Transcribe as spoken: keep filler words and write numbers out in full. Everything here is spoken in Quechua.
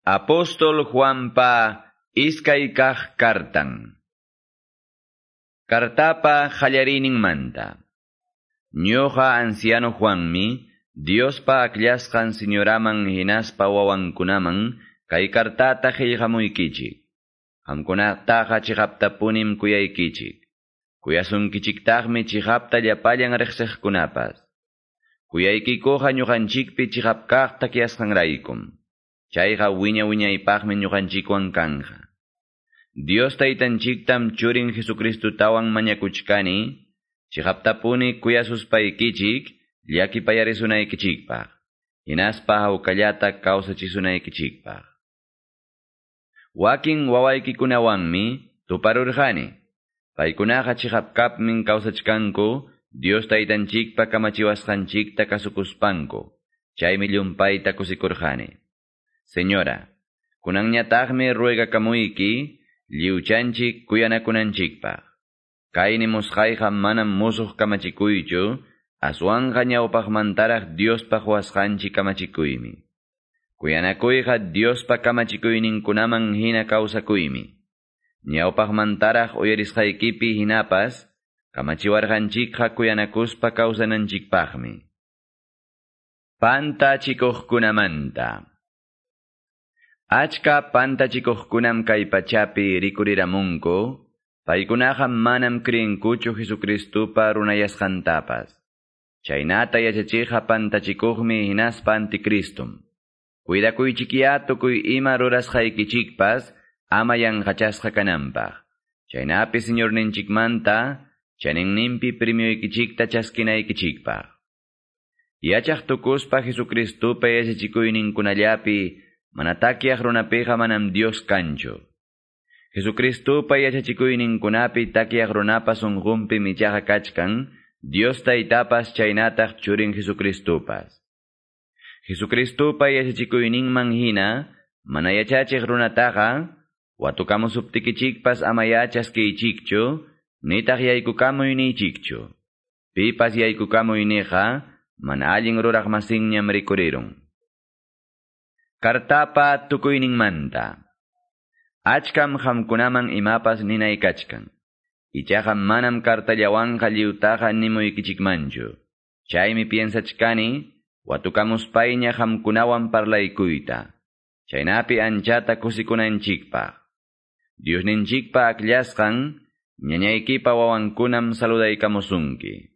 Apóstol Juanpa iskay kaq kartan. Kartapa manta. Ñuqa anciano Juanmi, Diospa akllasqan señoraman hinaspa wawankunaman kay kartata qillqamuykichik. Qamkunataqa chiqaptapunim kuyaykichik. Kuyasunkichiktaqmi chiqapta llapallan riqsiqkunapas. Kuyaykikuqa ñuqanchikpi chiqap kaq takyasqanraykum. Chayqa wiña wiñaypaqmi ñuqanchikwan kanja. Dios taytanchiktam churin Jesucristutawan mañakuchkani, chiqaptapuni kuyasuspaykichik, llakipayarisunaykichikpaq, hinaspa hawkallata kawsachisunaykichikpaq. Wakin wawaykikunawanmi tuparurqani. Paykunaqa chiqapkapmin kawsachkanku, Dios taytanchikpa kamachiwasqanchikta kasukuspanku, chaymi llumpayta kusikurqani. Señora, kunanñataqmi ruegakamuyki, lliwchanchik kuyanakunanchikpaq. Kay nimusqayqa manam musuq kamachikuychu, aswanqa ñawpaqmantaraq Diospa quwasqanchik kamachikuymi. Kuyanakuyqa Diospa kamachikuyninkunaman hina kawsakuymi. Ñawpaqmantaraq uyarisqaykipi hinapas, kamachiwarqanchikqa kuyanakuspa kawsananchikpaqmi. Pantachikuqkunamanta. Achka pantachikuqkunam kay pachapi rikuriramunku, paykunaqa manam creenkuchu Jesucristupa runayasqantapas. Chaynata yachachiqqa pantachikuqmi hinaspa anticristum. Cuidakuychikyá tukuy ima rurasqaykichikpas ama yanqachasqa kananpaq. Chaynapi Señorninchikmanta chaninninpi premioykichikta chaskinaykichikpaq. Yachaq tukuspa Jesucristupa yachachikuyninkunallapi mana takyaq runapiqa manam Dios kanchu. Jesucristupa yachachikuyninkunapi takyaq runapa sunqunpi ichaqa kachkan, Dios taytapas chaynataq churin Jesucristupas. Jesucristupa yachachikuyninman hina, mana yachachiq runataqa, watukamusuptikichikpas ama yachaskiychikchu, nitaq yaykukamuy niychikchu. Pipas yaykukamuy niqa, mana allin ruraq masinñam rikurirun. Kartapa tukuyninmanta. Achkam qamkunaman imapas ninay kachkan. Ichaqa manam kartallawanqa lliwtaqa nimuykichikmanchu. Chaymi piensachkani, watukamuspayña qamkunawan parlaykuyta. Chaynapi anchata kusikunanchikpaq. Diosninchikpa akllasqan, ñañaykipa wawankunam saludaykamusunki.